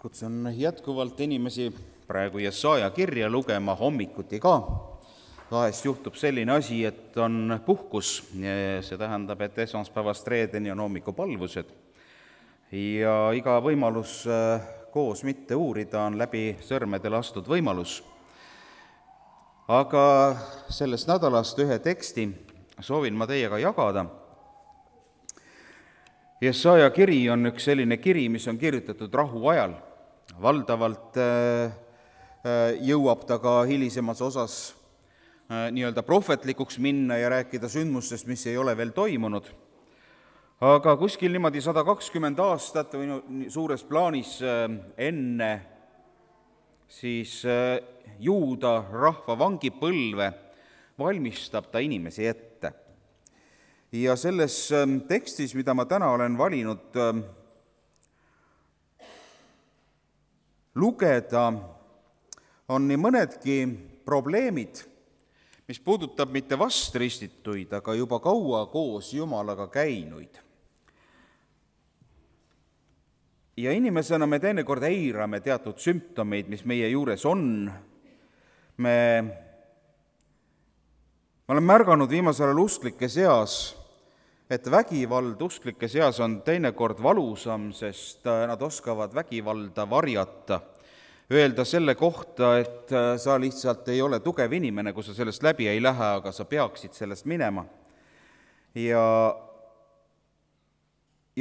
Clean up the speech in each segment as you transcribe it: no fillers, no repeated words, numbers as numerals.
Kutsun jätkuvalt inimesi praegu Jesaja kirja lugema hommikuti ka. Vahest juhtub selline asi, et on puhkus. See tähendab, et esmaspäevast reedeni on hommikupalvused. Ja iga võimalus koos mitte uurida on läbi sõrmede lastud võimalus. Aga sellest nädalast ühe teksti soovin ma teiega jagada. Jesaja kiri on üks selline kiri, mis on kirjutatud rahuajal. Valdavalt jõuab ta ka hilisemas osas nii-öelda prohvetlikuks minna ja rääkida sündmustest, mis ei ole veel toimunud. Aga kuskil niimoodi 120 aastat või suures plaanis enne siis Juuda rahva vangipõlve valmistab ta inimesi ette. Ja selles tekstis, mida ma täna olen valinud lugeda, on nii mõnedki probleemid, mis puudutab mitte vastristituid, aga juba kaua koos Jumalaga käinuid. Ja inimesena me teinekord eirame teatud sümptomeid, mis meie juures on. Me olen märganud viimasel ajal usklike seas, et vägivald usklike seas on teinekord valusam, sest nad oskavad vägivalda varjata. Öelda selle kohta, et sa lihtsalt ei ole tugev inimene, kui sa sellest läbi ei lähe, aga sa peaksid sellest minema. Ja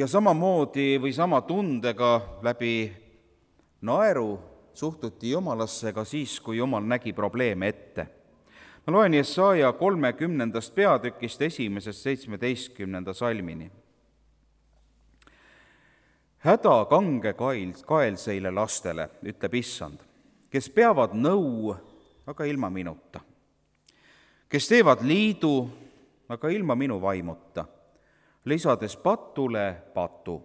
samamoodi või sama tundega läbi naeru suhtuti Jumalasse ka siis, kui Jumal nägi probleeme ette. Ma loen Jesaja 30. peatükist 1.17. salmini. Häda kange kaelseile lastele, ütleb Issand, kes peavad nõu, aga ilma minuta. Kes teevad liidu, aga ilma minu vaimuta, lisades patule patu.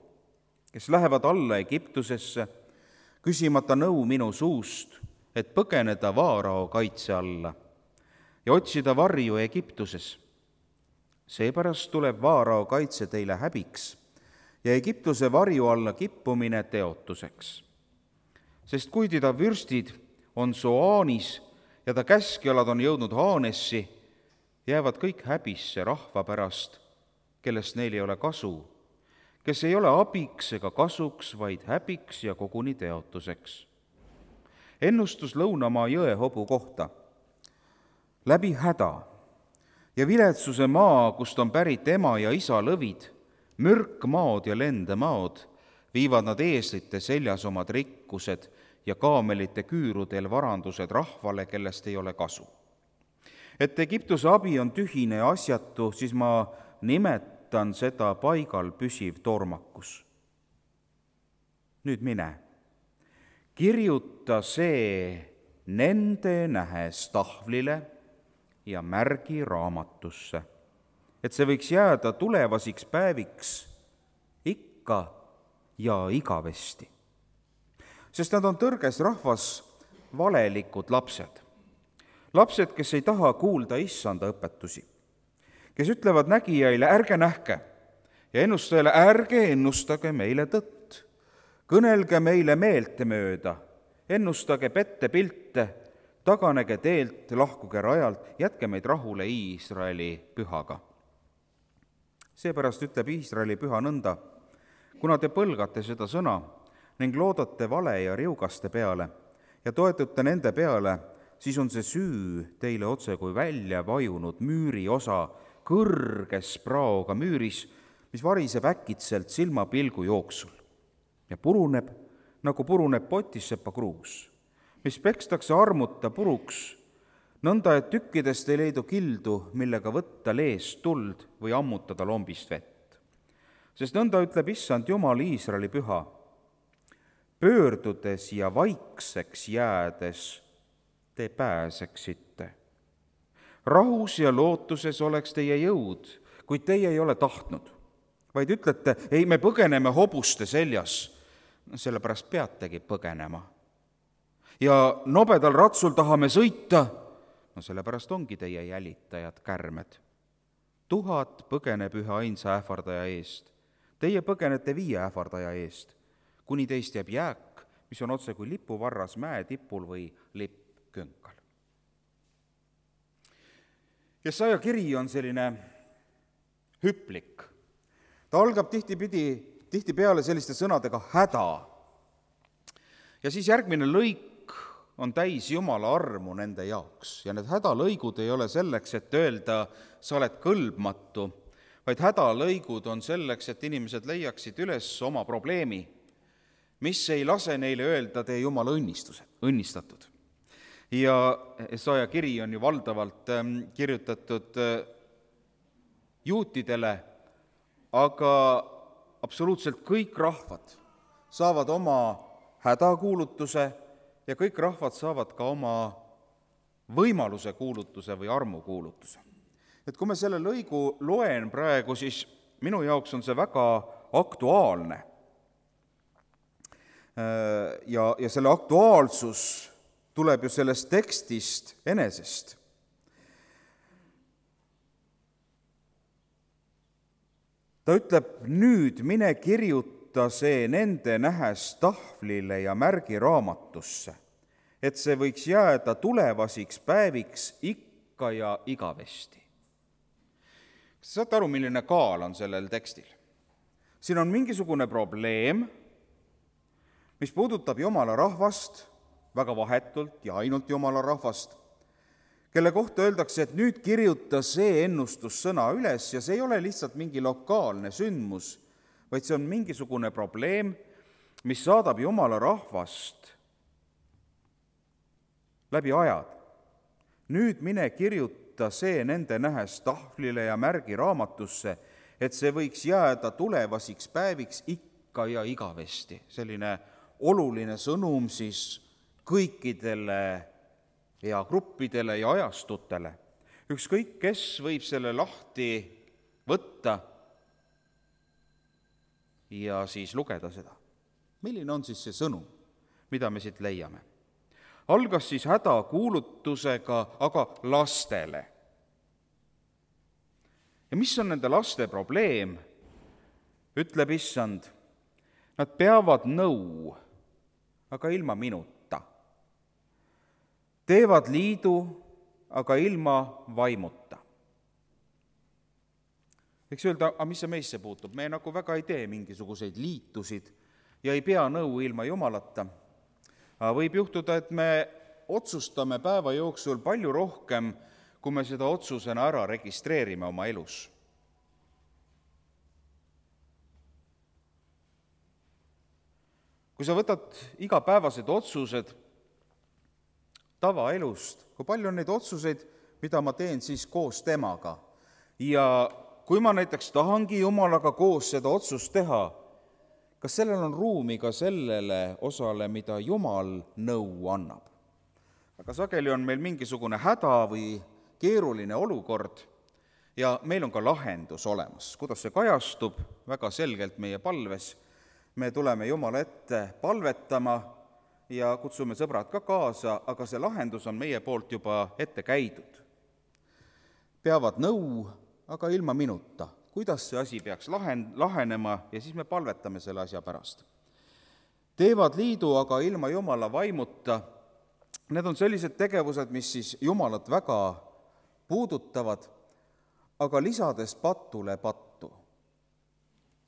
Kes lähevad alla Egiptusesse, küsimata nõu minu suust, et põgeneda Vaarao kaitse alla ja otsida varju Egiptuses. Seepärast tuleb Vaarao kaitse teile häbiks ja Egiptuse varju alla kippumine teotuseks. Sest kuigi ta vürstid on Soaanis ja ta käskjalad on jõudnud Haanessi, jäävad kõik häbisse rahva pärast, kellest neil ei ole kasu, kes ei ole abiks ega kasuks, vaid häbiks ja koguni teotuseks. Ennustus Lõunamaa jõehobu kohta. Läbi häda ja viletsuse maa, kust on pärit ema ja isa lõvid, mürkmaod ja lendemaod, viivad nad eeslite seljas omad rikkused ja kaamelite küürudel varandused rahvale, kellest ei ole kasu. Et Egiptuse abi on tühine ja asjatu, siis ma nimetan seda paigal püsiv tormakus. Nüüd mine, kirjuta see nende nähes tahvlile ja märgi raamatusse, et see võiks jääda tulevasiks päeviks ikka ja igavesti. Sest nad on tõrges rahvas valelikud lapsed. Lapsed, kes ei taha kuulda Issanda õpetusi, kes ütlevad nägijaile, ärge nähke, ja ennustajale, ärge ennustage meile tõtt. Kõnelge meile meeltemööda, ennustage pettepilte, taganege teelt, lahkuge rajalt, jätke meid rahule Iisraeli pühaga. Seepärast ütleb Iisraeli püha nõnda, kuna te põlgate seda sõna ning loodate vale ja riugaste peale ja toetute nende peale, siis on see süü teile otse kui välja vajunud müüri osa kõrges praoga müüris, mis variseb äkitselt silmapilgu jooksul ja puruneb, nagu puruneb potissepa kruus, mis pekstakse armuta puruks, nõnda, et tükkidest ei leidu kildu, millega võtta leest tuld või ammutada lombist vett. Sest nõnda ütleb Issand Jumal Iisraeli püha, pöördudes ja vaikseks jäädes te pääseksite. Rahus ja lootuses oleks teie jõud, kuid teie ei ole tahtnud, vaid ütlete, ei, me põgeneme hobuste seljas, sellepärast peategi põgenema. Ja nobedal ratsul tahame sõita, sellepärast ongi teie jälitajad kärmed. 1000 põgeneb ühe ainsa ähvardaja eest, teie põgenete 5 ähvardaja eest, kuni teist jääb jääk, mis on otse kui lipuvarras mäetipul või lippkünkal. Jesaja kiri on selline hüplik. Ta algab tihtipeale selliste sõnadega häda. Ja siis järgmine lõik on täis Jumala armu nende jaoks. Ja need hädalõigud ei ole selleks, et öelda, sa oled kõlbmatu, vaid hädalõigud on selleks, et inimesed leiaksid üles oma probleemi, mis ei lase neile öelda, tee Jumala õnnistatud. Ja Jesaja kiri on ju valdavalt kirjutatud juutidele, aga absoluutselt kõik rahvad saavad oma hädakuulutuse ja kõik rahvad saavad ka oma võimaluse kuulutuse või armukuulutuse. Et kui me selle lõigu loen praegu, siis minu jaoks on see väga aktuaalne. Ja selle aktuaalsus tuleb ju sellest tekstist enesest. Ta ütleb, nüüd mine kirjuta see nende nähes tahvlile ja märgi raamatusse, et see võiks jääda tulevasiks päeviks ikka ja igavesti. Kas te saate aru, milline kaal on sellel tekstil? Siin on mingisugune probleem, mis puudutab Jumala rahvast, väga vahetult ja ainult Jumala rahvast, kelle kohta öeldakse, et nüüd kirjuta see ennustussõna üles ja see ei ole lihtsalt mingi lokaalne sündmus, vaid see on mingisugune probleem, mis saadab Jumala rahvast läbi ajad. Nüüd mine kirjuta see nende nähes tahvlile ja märgi raamatusse, et see võiks jääda tulevasiks päeviks ikka ja igavesti. Selline oluline sõnum siis kõikidele eagruppidele ja ajastutele. Ükskõik, kes võib selle lahti võtta ja siis lugeda seda. Milline on siis see sõnum, mida me siit leiame? Algas siis hädakuulutusega, aga lastele. Ja mis on nende laste probleem? Ütleb issand, nad peavad nõu, aga ilma minuta. Teevad liidu, aga ilma vaimuta. Eks öelda, aga mis see meisse puutub? Me nagu väga ei tee mingisuguseid liitusid ja ei pea nõu ilma Jumalata. Võib juhtuda, et me otsustame päeva jooksul palju rohkem, kui me seda otsusena ära registreerime oma elus. Kui sa võtad igapäevased otsused tavaelust, kui palju on neid otsuseid, mida ma teen siis koos temaga. Ja kui ma näiteks tahangi Jumalaga koos seda otsust teha, kas sellel on ruumi ka sellele osale, mida Jumal nõu annab? Aga sageli on meil mingisugune häda või keeruline olukord ja meil on ka lahendus olemas. Kuidas see kajastub? Väga selgelt meie palves. Me tuleme Jumala ette palvetama ja kutsume sõbrad ka kaasa, aga see lahendus on meie poolt juba ette käidud. Peavad nõu, aga ilma minuta. Kuidas see asi peaks lahenema ja siis me palvetame selle asja pärast. Teevad liidu, aga ilma Jumala vaimuta. Need on sellised tegevused, mis siis Jumalat väga puudutavad, aga lisades patule pattu.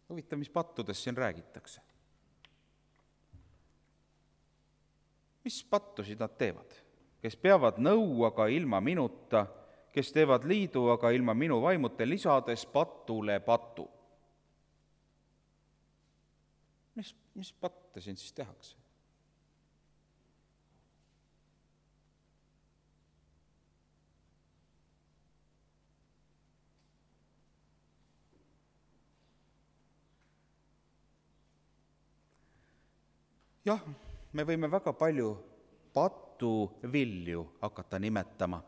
Huvitav, mis pattudest siin räägitakse? Mis pattusid nad teevad? Kes peavad nõu, aga ilma minuta, kes teevad liidu, aga ilma minu vaimuta, lisades patule patu. Mis patte siin siis tehakse? Jah, me võime väga palju patuvilju hakata nimetama,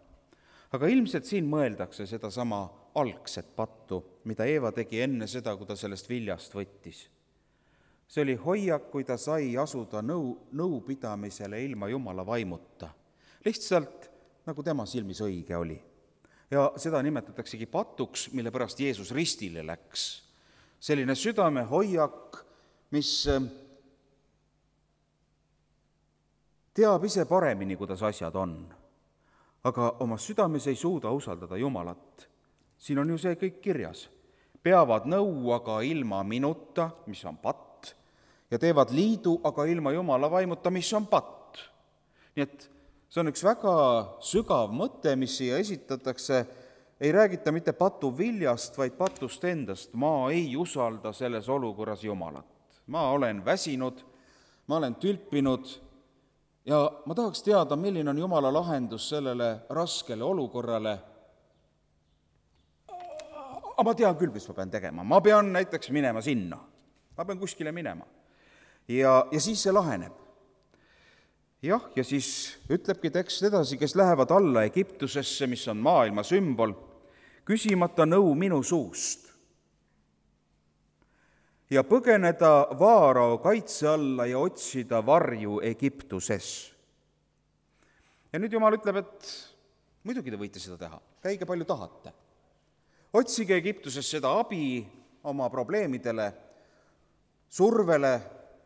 aga ilmselt siin mõeldakse sedasama algset pattu, mida Eeva tegi enne seda, kui ta sellest viljast võttis. See oli hoiak, kui ta sai asuda nõupidamisele ilma Jumala vaimuta. Lihtsalt nagu tema silmis õige oli. Ja seda nimetataksegi patuks, mille pärast Jeesus ristile läks. Selline südamehoiak, mis teab ise paremini, kuidas asjad on, aga oma südames ei suuda usaldada Jumalat. Siin on ju see kõik kirjas. Peavad nõu, aga ilma minuta, mis on patt, ja teevad liidu, aga ilma Jumala vaimuta, mis on patt. Nii et see on üks väga sügav mõte, mis siia esitatakse. Ei räägita mitte patu viljast, vaid patust endast. Ma ei usalda selles olukorras Jumalat. Ma olen väsinud, ma olen tülpinud ja ma tahaks teada, milline on Jumala lahendus sellele raskele olukorrale. Aga ma tean küll, mis ma pean tegema. Ma pean näiteks minema sinna. Ma pean kuskile minema. Ja siis see laheneb. Jah, ja siis ütlebki tekst edasi, kes lähevad alla Egiptusesse, mis on maailma sümbol, küsimata nõu minu suust ja põgeneda Vaarao kaitse alla ja otsida varju Egiptuses. Ja nüüd Jumal ütleb, et muidugi te võite seda teha, käige palju tahate. Otsige Egiptuses seda abi oma probleemidele, survele,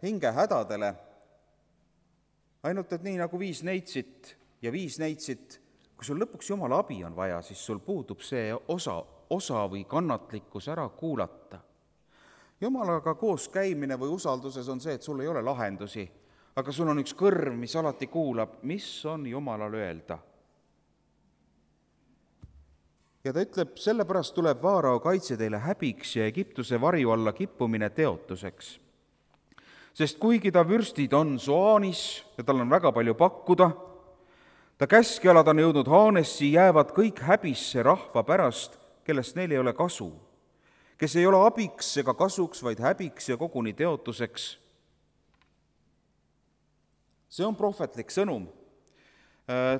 hingehädadele, ainult et nii nagu 5 neitsit, kui sul lõpuks Jumala abi on vaja, siis sul puudub see osa või kannatlikkus ära kuulata. Jumalaga koos käimine või usalduses on see, et sul ei ole lahendusi, aga sul on üks kõrv, mis alati kuulab, mis on Jumalal öelda. Ja ta ütleb, sellepärast tuleb Vaarao kaitse teile häbiks ja Egiptuse varju alla kippumine teotuseks. Sest kuigi ta vürstid on Soanis ja tal on väga palju pakkuda, ta käskjalad on jõudnud Haanessi, jäävad kõik häbisse rahva pärast, kellest neil ei ole kasu, kes ei ole abiks ega kasuks, vaid häbiks ja koguni teotuseks. See on prohvetlik sõnum.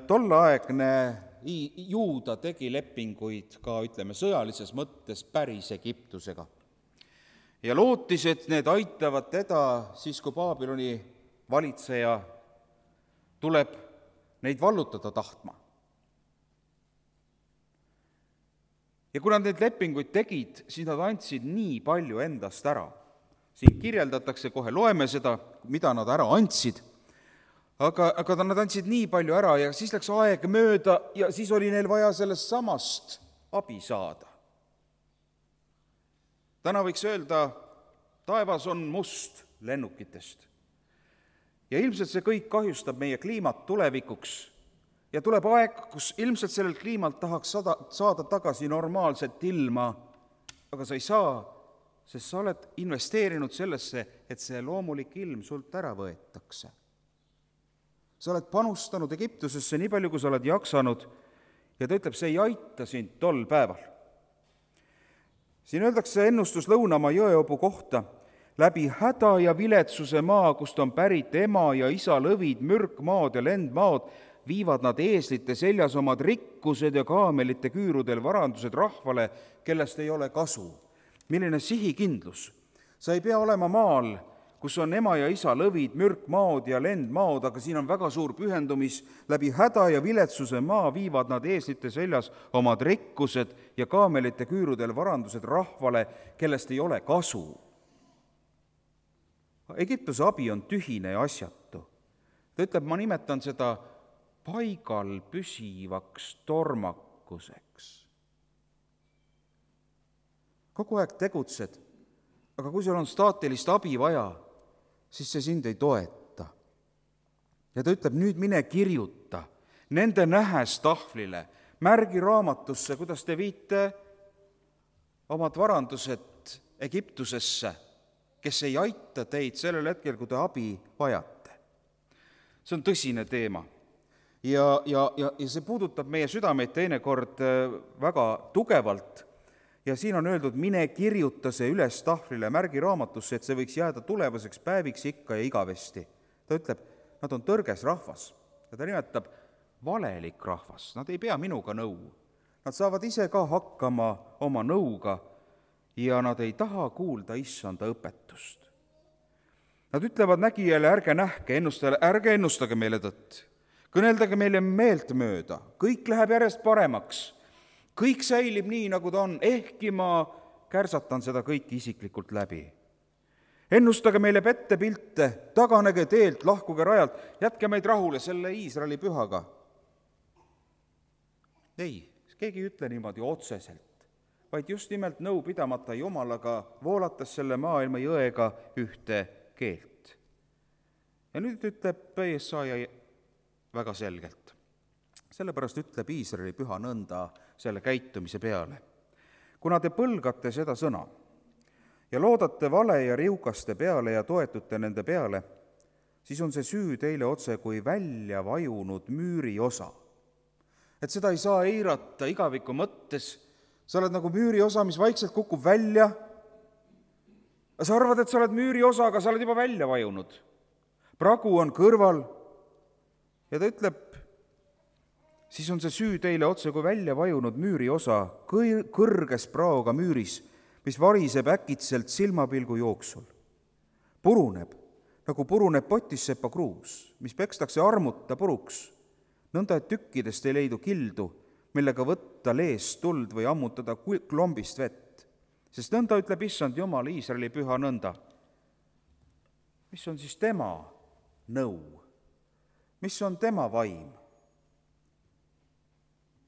Tolleaegne Juuda tegi lepinguid ka, sõjalises mõttes päris Egiptusega. Ja lootis, et need aitavad teda siis, kui Baabiloni valitseja tuleb neid vallutada tahtma. Ja kui nad need lepinguid tegid, siis nad andsid nii palju endast ära. Siin kirjeldatakse, kohe loeme seda, mida nad ära andsid, aga nad andsid nii palju ära ja siis läks aeg mööda ja siis oli neil vaja sellest samast abi saada. Täna võiks öelda, taevas on must lennukitest. Ja ilmselt see kõik kahjustab meie kliimat tulevikuks. Ja tuleb aeg, kus ilmselt sellel kliimalt tahaks saada tagasi normaalset ilma, aga sa ei saa, sest sa oled investeerinud sellesse, et see loomulik ilm sult ära võetakse. Sa oled panustanud Egiptusesse nii palju, kui sa oled jaksanud ja ta ütleb, see ei aita sind tol päeval. Siin öeldakse ennustus Lõunamaa jõeobu kohta, läbi häda ja viletsuse maa, kust on pärit ema ja isa lõvid, mürkmaad ja lendmaad, viivad nad eeslite seljas omad rikkused ja kaamelite küürudel varandused rahvale, kellest ei ole kasu. Milline sihikindlus? Sa ei pea olema maal, kus on ema ja isa lõvid, mürkmaad ja lendmaad, aga siin on väga suur pühendumis. Läbi häda ja viletsuse maa viivad nad eeslite seljas omad rikkused ja kaamelite küürudel varandused rahvale, kellest ei ole kasu. Egiptuse abi on tühine ja asjatu. Ta ütleb, ma nimetan seda paigal püsivaks tormakuseks. Kogu aeg tegutsed, aga kui sul on staatilist abi vaja, siis see sind ei toeta. Ja ta ütleb, nüüd mine kirjuta nende nähes tahvlile, märgi raamatusse, kuidas te viite omad varandused Egiptusesse, kes ei aita teid sellel hetkel, kui te abi vajate. See on tõsine teema. Ja see puudutab meie südameid teinekord väga tugevalt. Ja siin on öeldud, mine kirjuta see üles tahvlile, märgi raamatusse, et see võiks jääda tulevaseks päeviks ikka ja igavesti. Ta ütleb, nad on tõrges rahvas ja ta nimetab valelik rahvas. Nad ei pea minuga nõu. Nad saavad ise ka hakkama oma nõuga ja nad ei taha kuulda issanda õpetust. Nad ütlevad nägijale, ärge nähke, ärge ennustage meile tõtt. Kõneldage meile meelt mööda, kõik läheb järjest paremaks. Kõik säilib nii, nagu ta on, ehkki ma kärsatan seda kõiki isiklikult läbi. ennustage meile pettepilte, taganege teelt, lahkuge rajalt, jätke meid rahule selle Iisraeli pühaga. Ei, keegi ei ütle niimoodi otseselt, vaid just nimelt nõu pidamata Jumalaga voolates selle maailma jõega ühte keelt. Ja nüüd ütleb Jesaja väga selgelt. Sellepärast ütleb Iisraeli püha nõnda selle käitumise peale. Kuna te põlgate seda sõna ja loodate vale ja riukaste peale ja toetute nende peale, siis on see süü teile otse kui välja vajunud müüri osa. Et seda ei saa eirata igaviku mõttes, sa oled nagu müüri osa, mis vaikselt kukub välja. Sa arvad, et sa oled müüri osa, aga sa oled juba välja vajunud. Pragu on kõrval ja ta ütleb, siis on see süü teile otse kui välja vajunud müüri osa kõrges praoga müüris, mis variseb äkitselt silmapilgu jooksul. Puruneb, nagu puruneb potissepa kruus, mis pekstakse armuta puruks, nõnda et tükkidest ei leidu kildu, millega võtta leest tuld või ammutada klombist vett. Sest nõnda ütleb issand Jumal Iisraeli püha nõnda. Mis on siis tema nõu? Mis on tema vaim?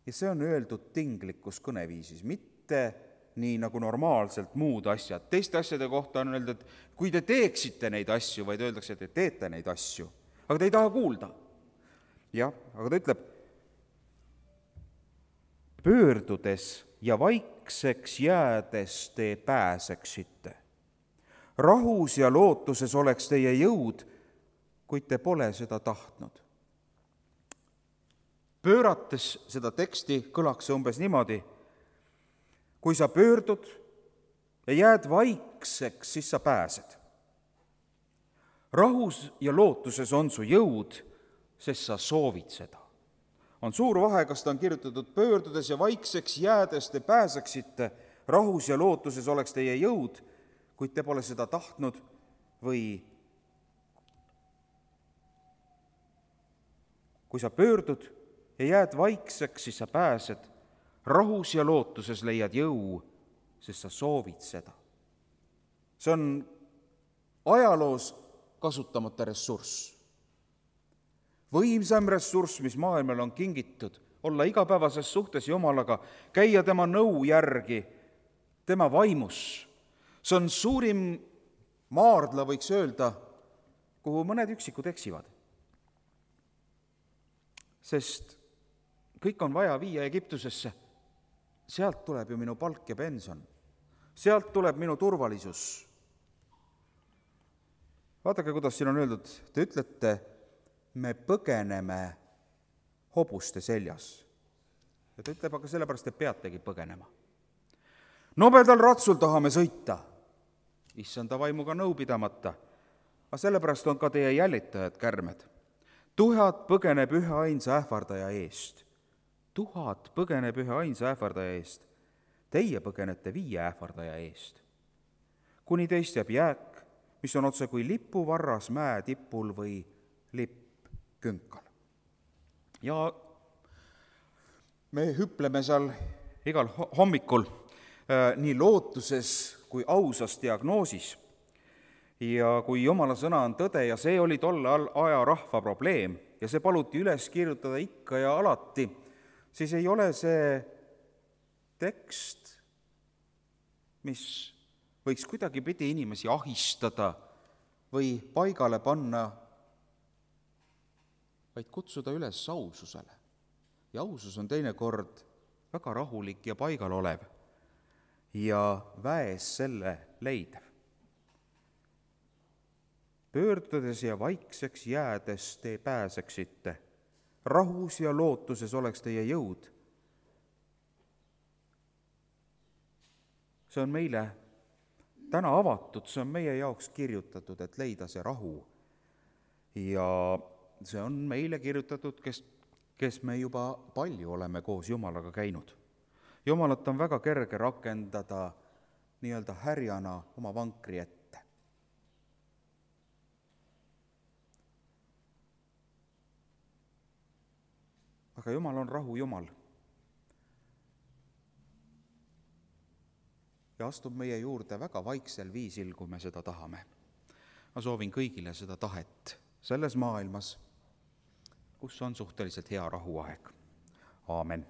Ja see on öeldud tinglikus kõneviisis, mitte nii nagu normaalselt muud asjad. Teiste asjade kohta on öeldud, et kui te teeksite neid asju, vaid öeldakse, et te teete neid asju, aga te ei taha kuulda. Jah, aga ta ütleb, pöördudes ja vaikseks jäädes te pääseksite. Rahus ja lootuses oleks teie jõud, kuid te pole seda tahtnud. Pöörates seda teksti kõlaks umbes niimoodi, kui sa pöördud ja jääd vaikseks, siis sa pääsed. Rahus ja lootuses on su jõud, sest sa soovid seda. On suur vahe, kas ta on kirjutatud pöördudes ja vaikseks jäädes te pääseksite, rahus ja lootuses oleks teie jõud, kuid te pole seda tahtnud, või kui sa pöördud ja jääd vaikseks, siis sa pääsed, rahus ja lootuses leiad jõu, sest sa soovid seda. See on ajaloos kasutamata ressurss. Võimsam ressurss, mis maailmal on kingitud, olla igapäevases suhtes Jumalaga, käia tema nõu järgi, tema vaimus. See on suurim maardla, võiks öelda, kuhu mõned üksikud eksivad. Sest kõik on vaja viia Egiptusesse. Sealt tuleb ju minu palk ja pension. Sealt tuleb minu turvalisus. Vaadake, kuidas siin on öeldud, te ütlete, me põgeneme hobuste seljas. Ja ta ütleb, aga sellepärast te peategi põgenema. Nobedal ratsul tahame sõita, issanda vaimuga nõu pidamata, aga sellepärast on ka teie jälitajad kärmed. 1000 põgeneb ühe ainsa ähvardaja eest. 1000 põgeneb ühe ainsa ähvardaja eest. Teie põgenete 5 ähvardaja eest. Kuni teist jääb jääk, mis on otse kui lipuvarras mäe tipul või lippkünkal. Ja me hüpleme seal igal hommikul nii lootuses kui ausas diagnoosis. Ja kui Jumala sõna on tõde ja see oli tolle aja rahva probleem ja see paluti üles kirjutada ikka ja alati, siis ei ole see tekst, mis võiks kuidagi pidi inimesi ahistada või paigale panna, vaid kutsuda üles aususele. Ja ausus on teinekord väga rahulik ja paigal olev ja väes selle leidev. Pöördudes ja vaikseks jäädes te pääseksite. Rahus ja lootuses oleks teie jõud. See on meile täna avatud, see on meie jaoks kirjutatud, et leida see rahu. Ja see on meile kirjutatud, kes me juba palju oleme koos Jumalaga käinud. Jumalat on väga kerge rakendada nii-öelda härjana oma vankri ette. Aga Jumal on rahu Jumal. Ja astub meie juurde väga vaiksel viisil, kui me seda tahame. ma soovin kõigile seda tahet selles maailmas, kus on suhteliselt hea rahuaeg. Aamen.